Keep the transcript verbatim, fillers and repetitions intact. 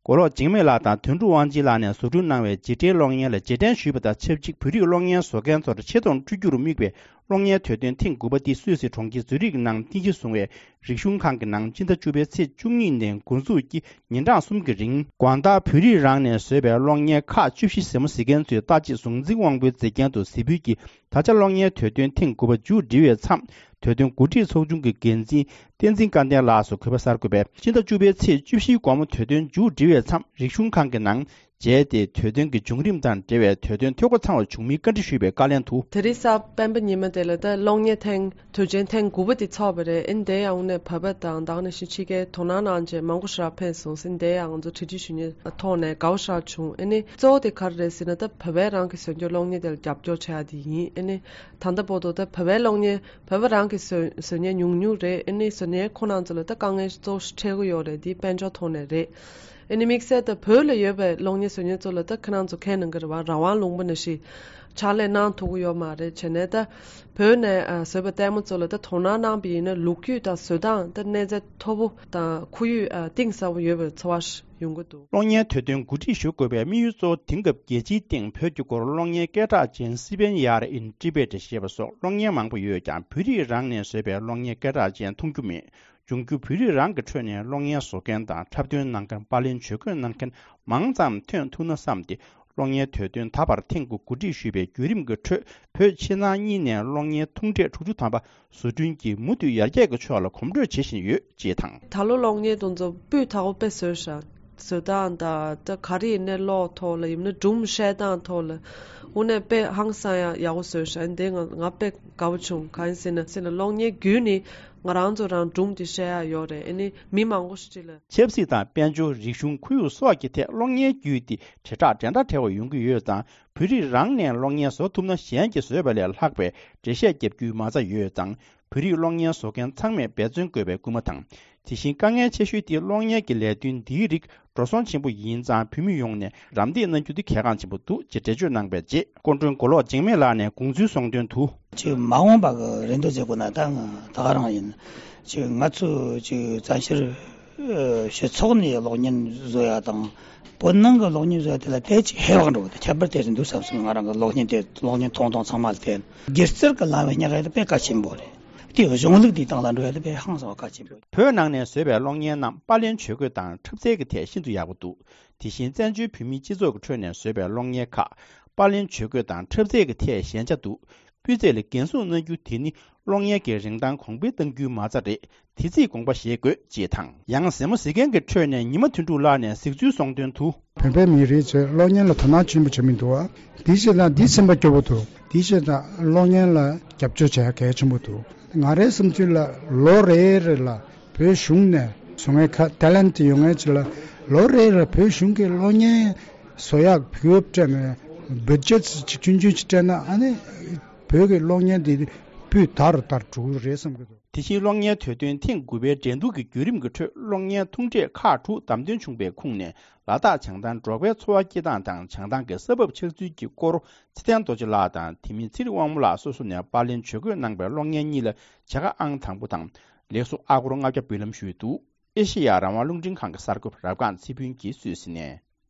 མགོ་ལོག་འཇིགས་མེད་ལགས་དང་དོན་གྲུབ་དབང་ཆེན་ལགས་ནས་བཟོ་སྐྲུན་གནང་བའི་རྗེས་དྲན་གློག་བརྙན་ལ་རྗེས་དྲན་ཞུས་པ་དང་ཆབས་ཅིག་བོད་རིགས་གློག་བརྙན་བཟོ་མཁན་ཚོར་ཆེ་མཐོང་སྤྲོད་རྒྱུར་དམིགས་པའི་གློག་བརྙན་དུས་སྟོན་ཐེངས་དགུ་པ་འདི་སུད་སི་གྲོང་ཁྱེར་ཛུ་རིག་ནང་རྟེན་གཞི་བཟུང་བའི་རིག་གཞུང་ཁང་གི་ནང་སྤྱི་ཟླ་བཅུ་པའི་ཚེས་བཅུ་གཉིས་ནས་འགོ་འཛུགས་ཀྱིས་ཉིན་གྲངས་གསུམ་གྱི་རིང་། དགོང་དག་བོད་རིགས་རང་ནས་བཟོས་པའི་གློག་བརྙན་ཁག་བཅུ་བཞི་གཟིགས་མོ་གཟིགས་མཁན་ཚོས་ལྟ་ཅི་གཟུངས་འཛིན་དབང་པོའི་མཛེས་རྒྱན་དུ་གཟིགས་འབུལ་གྱིས། ད་ཆ་གློག་བརྙན་དུས་སྟོན་ཐེངས་དགུ་པ་མཇུག་སྒྲིལ་བའི་མཚམས། དུས་སྟོན་གོ་སྒྲིག་ཚོགས་ཆུང་གི་འགན་འཛིན་བསྟན་འཛིན་སྐལ་ལྡན་ལགས་སུ་གུས་པ་གསར་འགོད་པས། སྤྱི་ཟླ་བཅུ་པའི་ཚེས་བཅུ་བཞིའི་དགོང་མོ་དུས་སྟོན་མཇུག་སྒྲིལ་བའི་མཚམས། རིག་གཞུང་ཁང་གི་ནང་མཇལ་ཏེ། དུས་སྟོན་གྱི་བྱུང་རིམ་དང་འབྲེལ་བའི་དུས་སྟོན་ཐོས་སྒོ་ཚང་བར་བྱུང་མིན་བཀའ་འདྲི་ཞུས་པའི་བཀའ་ལན་དུ། དེ་རིང་གཟའ་སྤེན་པ་ཉི་མ་དེ་ལ་ད་གློག་བརྙན་ཐེངས་དུས་ཆེན་ཐེངས་དགུ་པ་དེ་ཚོགས་པ་རེད། ཨེ་འདི་ཡང་ནས་བོད་པ་དང་དེ་ནང་བཞིན་ཕྱི་རྒྱལ་དོ་སྣང་གནང་བྱས་མང་པོ་ཞེ་དྲག་ཕེབས་སོང་ཟིན། དེ་ཡང་ང་ཚོ་གྲ་སྒྲིག་ཞུ་མཁན་ཐོག་ནས་དགའ་པོ་ཞེ་དྲག་བྱུང་། ཨེ་ནི་གཙོ་བོ་དེ་ག་རེ་རེད་ཟེར་ན། ད་བོད་པས་རང་གི་བཟོ་རྒྱུ་གློག་བརྙན་དེ་ལ་རྒྱབ་སྐྱོར་བྱ་ཡ་དེ་ཡིན། ཨེ་ནི་ད་ལྟ་བར་དུ་ད་བོད་པའི་གློག་བརྙན་བོད་པ་རང་གི་བཟོ་བཟོ་མཁན་ཉུང་ཉུང་རེད། ཨེ་ནི་བཟོ་མཁན་ཁོ་རང་ཚོ་ལ་ད་དཀའ་ངལ་གཙོ་བོ་འཕྲད་ཀྱི་ཡོད་རེད། དེ་དཔལ་འབྱོར་ཐོག་ནས་རེད། ཨེ་ནི་དམིགས་བསལ་ད་བོད་ལ་ཡོད་པའི་གློག་བརྙན་བཟོ་མཁན་ཚོ་ལ་ད་ཁྱེད་རང་ཚོ་མཁྱེན་གནང་གི་རེད་བ། རང་དབང་ལུང་པ་ནང་བཞིན་ཕྱག་ལས་གནང་ཐུབ་ཀྱི་ཡོད་མ་རེད། བྱས་ནས་ད་བོད་ནས་ཨ་བཟོས་པ་ལྟད་མོ་ཚོ་ལ་ད་དོ་སྣང་གནང་བ་ཡིན་ན་ལོ་རྒྱུས་དང་བཟོ་སྟངས་ད་གནས་ཚད་མཐོ་པོ་དང་ཁོར་ཡུག་ཨ་གཏིང་ཟབ་པོ་ཡོད་པའི་ཚོར་བ་ཞིག་ཡོང་གི་འདུག། གློག་བརྙན་དུས་སྟོན་གོ་སྒྲིག་ཞུ་དགོས་པའི་དམིགས་ཡུལ་གཙོ་བོ། དེང་སྐབས་རྒྱལ་སྤྱིའི་སྟེང་བོད་ཀྱི་སྐོར་གློག་བརྙན་སྐད་གྲགས་ཅན་སི་པན་ཡར་ཨིན་ཊི་བེ་ཊི་ཞེས་པ་སོགས་གློག་བརྙན་མང་པོ་ཡོད་ཀྱང་། བོད་རིགས་རང་ནས་བཟོས་པའི་གློག་བརྙན་སྐད་གྲགས་ཅན་མཐོང་རྒྱུ་མེད། འབྱུང་འགྱུར་བོད་རིགས་རང་གི་ཁྲོད་ནས་གློག་བརྙན་བཟོ་མཁན་དང་འཁྲབ་སྟོན་གནང་མཁན། པར་ལེན་ཇུས་འགོད་གནང་མཁན་མང་ཙམ་ཐོན་ཐུབ་ན་བསམ་སྟེ། གློག་བརྙན་དུས་སྟོན་ད་བར་ཐེངས་དགུ་གོ་སྒྲིག་ཞུས་པའི་བརྒྱུད་རིམ་གྱི་ཁྲོད། བོད་ཕྱི་ནང་གཉིས་ནས་གློག་བརྙན་ཐུང་གྲས་དྲུག་ཅུ་ཐམ་པ་བཟོ་སྐྲུན་གྱིས་མུ་མཐུད་ཡར་རྒྱས་ཀྱི་ཕྱོགས་ལ་གོམ་བགྲོད་བྱེད་བཞིན་ཡོད་ཅེས་དང་། ད་ལོ་གློག་བརྙན་དེ་ཚོ་སྤུས་དག་པོ་དཔེ་བཟོས་ཤག། བཟོ་སྟངས་དང་ད་ག་རེ་ཡིན་ནའི་གློག་ཐོག་ལ་ཡིན་ན་སྒྲུང་བཤད་སྟངས་ཐོག་ལ་དངོས་གནས་དཔེ་ཧང་སང་ཡག་ཡག་པོ་བཟོས་ཤག། འདི་ང་ང་དཔེ་དགའ་པོ་བྱུང་། གང་ཡིན་ཟེར་ན་ཟེར་ན་གློག་བརྙན་བརྒྱུད་ནས་ང་རང་ཚོ་རང་སྒྲུང་དེ་བཤད་ཡག་ཡོད་རེད། ཨ་ནི་མི་མང་པོ་ཞིག་ལ། ཆབ་སྲིད་དང་དཔལ་འབྱོར། རིག་གཞུང་། ཁོར་ཡུག་སོགས་ཀྱི་ཐད་གློག་བརྙན་བརྒྱུད་དེ་དྲིལ་བསྒྲགས་འགྲན་ཟླ་བྲལ་བ་ཡོང་གི་ཡོད་ཙང་། བོད་རིགས་རང་ནས་གློག་བརྙན་བཟོ་ཐུབ་ན་གཞན་གྱིས་བཟོས་པ་ལས་ལྷག་པའི་འགྲེལ་བཤད་བརྒྱབ་རྒྱུའི་མ་རྩ་ཡོད་ཙང་། བོད་རིགས་གློག་བརྙན་བཟོ་མཁན་ཚང་མས་འབད་བརྩོན་དགོས་པའི་སྐུལ་མ་དང་། དེ་བཞིན་དཀའ་ངལ་ཆེ་ཤོས་དེ་གློག་བརྙན་གྱི་ལས་དོན་འདིའི་རིགས་འགྲོ་སོང་ཆེན་པོ་ཡིན་ཙང་། བོད་མི་ཡོངས་ནས་རམ་འདེགས་གནང་རྒྱུ་དེ་གལ་འགངས་ཆེན་པོ་འདུག་ཅེས་འགྲེལ་བརྗོད་གནང་བའི་རྗེས། སྐུ་མགྲོན་མགོ་ལོག་འཇིགས་མེད་ལགས་ནས་དགོངས་ཚུལ་གསུངས་དོན་དུ། ཅིག་མ་འོངས་པ་གི་རེ་འདོད་བྱེད་དགོས་ན་ད་ང་ད་ག་རང་ཡིན། ཅིག་ང་ཚོ་ཅིག་བཙན་བྱོལ་སྤྱི་ཚོགས་ནས་གློག་བརྙན་བཟོ་ཡ་དང་། བོད་ནང་གི་གློག་བརྙན་བཟོ་ཡ་དེ་ལ་དེ་ཅིག་ཧེ་བག་འགྲོ་གི། ཁྱད་པར་དེ་རེད་འདུག་བསམ་སོང་། ང་རང་གི་གློག་བརྙན་དེ་གློག་བརྙན་མཐོང་སྟངས་ཚང་མ་ལ་བལྟས་ན། སྒྱུ་རྩལ་གྱི་ལམ་བས་སྙེག་ཡ་དེ་དཔེ་གལ་ཆེན་པོ་རེད། དེ་གཞུང་ལུགས་དེའི་སྟེང་ལ་འགྲོ་ཡ་དེ་དཔེ་ཧང་སང་བ་གལ་ཆེན་པོ་རེད། བོད་ནང་ནས་བཟོས་པའི་གློག་བརྙན་རྣམས་པར་ལེན་ཇུས་འགོད་དང་འཁྲབ་རྩལ་གྱི་ཐད་ཤིན་ཏུ་ཡག་པོ་འདུག། དེ་བཞིན་བཙན་བྱོལ་བོད་མིའི་སྤྱི་ཚོགས་ཀྱི་ཁྲོད་ནས་བཟོས་པའི་གློག་བརྙན་ཁག་པར་ལེན་ཇུས་འགོད་དང་འཁྲབ་རྩལ་གྱི་ཐད་ཞན་ཆ་འདུག། སྤུས་ཚད་ལ་འགན་སྲུང་གནང་རྒྱུ་དེ་ནི་གློག་བརྙན་གྱི་རིན་ཐང་གོང་འཕེལ་གཏང་རྒྱུའི་མ་རྩ་རེད། དེ་རྩིས་དགོངས་པ་བཞེས་དགོས་ཅེས་དང་། ཡང་གཟིགས་མོ་གཟིགས་མཁན་གྱི་ཁྲོད་ནས་ཉི་མ་དོན་གྲུབ་ལགས་ནས་གཟིགས་ཚུལ་གསུངས་དོན་དུ། བོད་པའི་མི་རིགས་ཚོས་གློག་བརྙན་ལ་དོ་སྣང་ཆེན་པོ་བྱེད་མི་འདུག་བ། དེ་བྱས་ཙང་འདི་སེམས་པ་སྐྱོ་པོ་འདུག། དེ་བྱས་ཙང་གློག་བརྙན་ལ་རྒྱབ་སྐྱོར་བྱེད་ཡ་གལ་ཆེན་པོ་འདུག། ང་རའི་བསམ་ཚུལ་ལ་ལོ་རེ་རེ་ལ་བོད་གཞུང་ནས་བཟོ་མཁན་ཁ་ཊེ་ལེན་ཊི་ཡོད་མཁན་ཚོ་ལ་ལོ་རེ་རེ་བོད་གཞུང་གིས་གློག་བརྙན་བཟོ་ཡག་བུ་སྤྲད་ནས་བུ་ཇེ་ཊི་ཅིག་ཆུང་ཆུང་ཅིག་སྤྲད་ན། ཨ་ནི་བོད་ཀྱི་གློག་བརྙན་འདི་སྤུས་དར་རུ་དར་འགྲོ་གི་རེད་བསམ་གྱི་འདུག། དེ་བཞིན་གློག་བརྙན་དུས་སྟོན་ཐེངས་དགུ་པའི་འགྲན་བསྡུར་གྱི་བརྒྱུད་རིམ་གྱི་ཁྲོད་གློག་བརྙན་ཐུང་གྲས་ཁག་དྲུག་བདམས་ཐོན་བྱུང་བའི་ཁོངས་ནས། ལ་དྭགས་བྱང་ཐང་འབྲོག་པའི་འཚོ་བ་སྐྱེལ་སྟངས་དང་བྱང་ཐང་གི་ས་བབ་ཆགས་ཚུལ་གྱི་སྐོར། ཚེ་བརྟན་རྡོ་རྗེ་ལགས་དང་དེ་མིན་ཚེ་རིང་དབང་མོ་ལགས་སོ་སོ་ནས་པར་ལེན་ཇུས་འགོད་གནང་པའི་གློག་བརྙན་གཉིས་ལ་བྱ་དགའ་ཨང་དང་པོ་དང་ལེགས་གསོ་ཨ་སྒོར་ལྔ་བརྒྱ་འབུལ་ལམ་ཞུས་འདུག། ཨེ་ཤེ་ཡ་རང་དབང་རླུང་འཕྲིན་ཁང་གི་གསར་འགོད་པ་རབ་སྒང་ཚེ་ཕུན་གྱིས་སུད་སི་ནས།